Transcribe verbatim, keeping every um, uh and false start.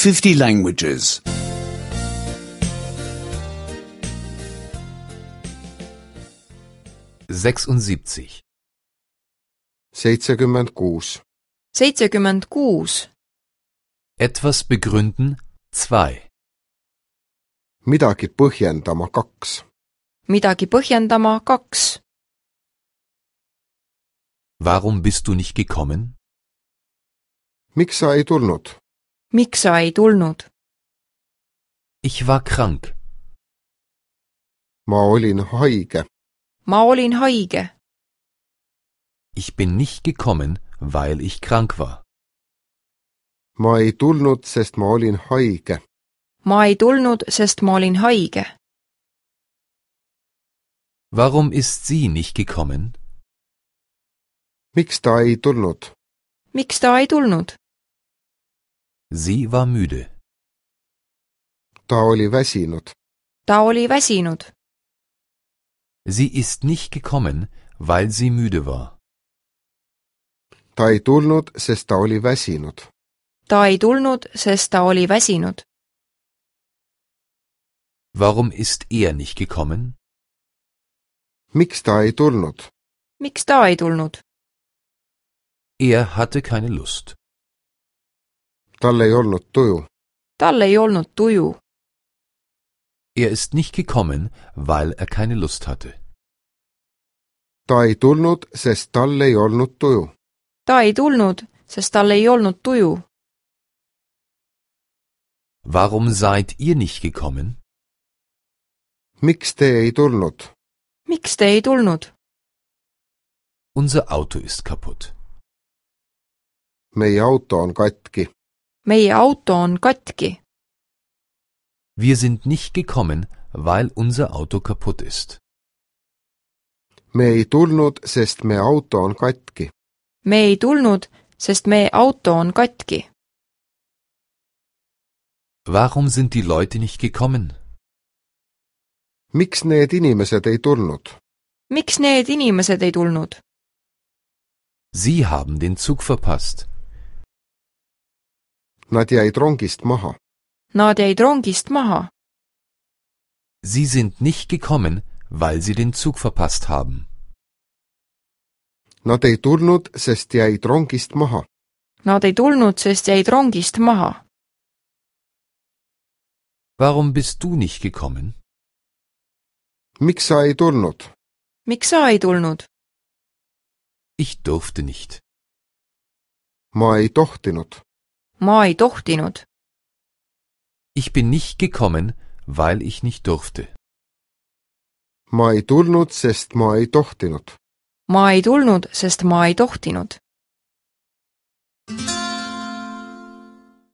fifty languages. sechsundsiebzig. seitsekümmend kuus. seitsekümmend kuus. Etwas begründen zwei. midagi põhjendama kaks. midagi põhjendama kaks. Warum bist du nicht gekommen? miks sa ei tulnud? miks sa ei tulnud? Ich war krank. ma olin haige. ma olin haige. Ich bin nicht gekommen, weil ich krank war. ma ei tulnud, sest ma olin haige. ma ei tulnud, sest ma olin haige. Warum ist sie nicht gekommen? miks ta ei tulnud? miks ta ei tulnud? Sie war müde. ta oli väsinud. ta oli väsinud. Sie ist nicht gekommen, weil sie müde war. ta ei tulnud, sest ta oli väsinud. ta ei tulnud, sest ta oli väsinud. Warum ist er nicht gekommen? miks ta ei tulnud? miks ta ei tulnud? Er hatte keine Lust. tal ei olnud tuju. tal ei olnud tuju. Er ist nicht gekommen, weil er keine Lust hatte. ta ei tulnud, sest tal ei olnud tuju. ta ei tulnud, sest tal ei olnud tuju. Warum seid ihr nicht gekommen? miks te ei tulnud? miks te ei tulnud? Unser Auto ist kaputt. meie auto on katki. meie auto on katki. Wir sind nicht gekommen, weil unser Auto kaputt ist. me ei tulnud, sest meie auto on katki. me ei tulnud, sest meie auto on katki. Warum sind die Leute nicht gekommen? miks need inimesed ei tulnud? miks need inimesed ei tulnud? Sie haben den Zug verpasst. Nad jäid rongist maha. Nad jäid rongist maha. Sie sind nicht gekommen, weil sie den Zug verpasst haben. Nad ei tulnud, sest jäid rongist maha. Nad ei tulnud, sest jäid rongist maha. Warum bist du nicht gekommen? miks sa ei tulnud? miks sa ei tulnud? Ich durfte nicht. ma ei tohtinud. ma ei tohtinud. Ich bin nicht gekommen, weil ich nicht durfte. ma ei tulnud, sest ma ei tohtinud. ma ei tulnud, sest ma ei tohtinud.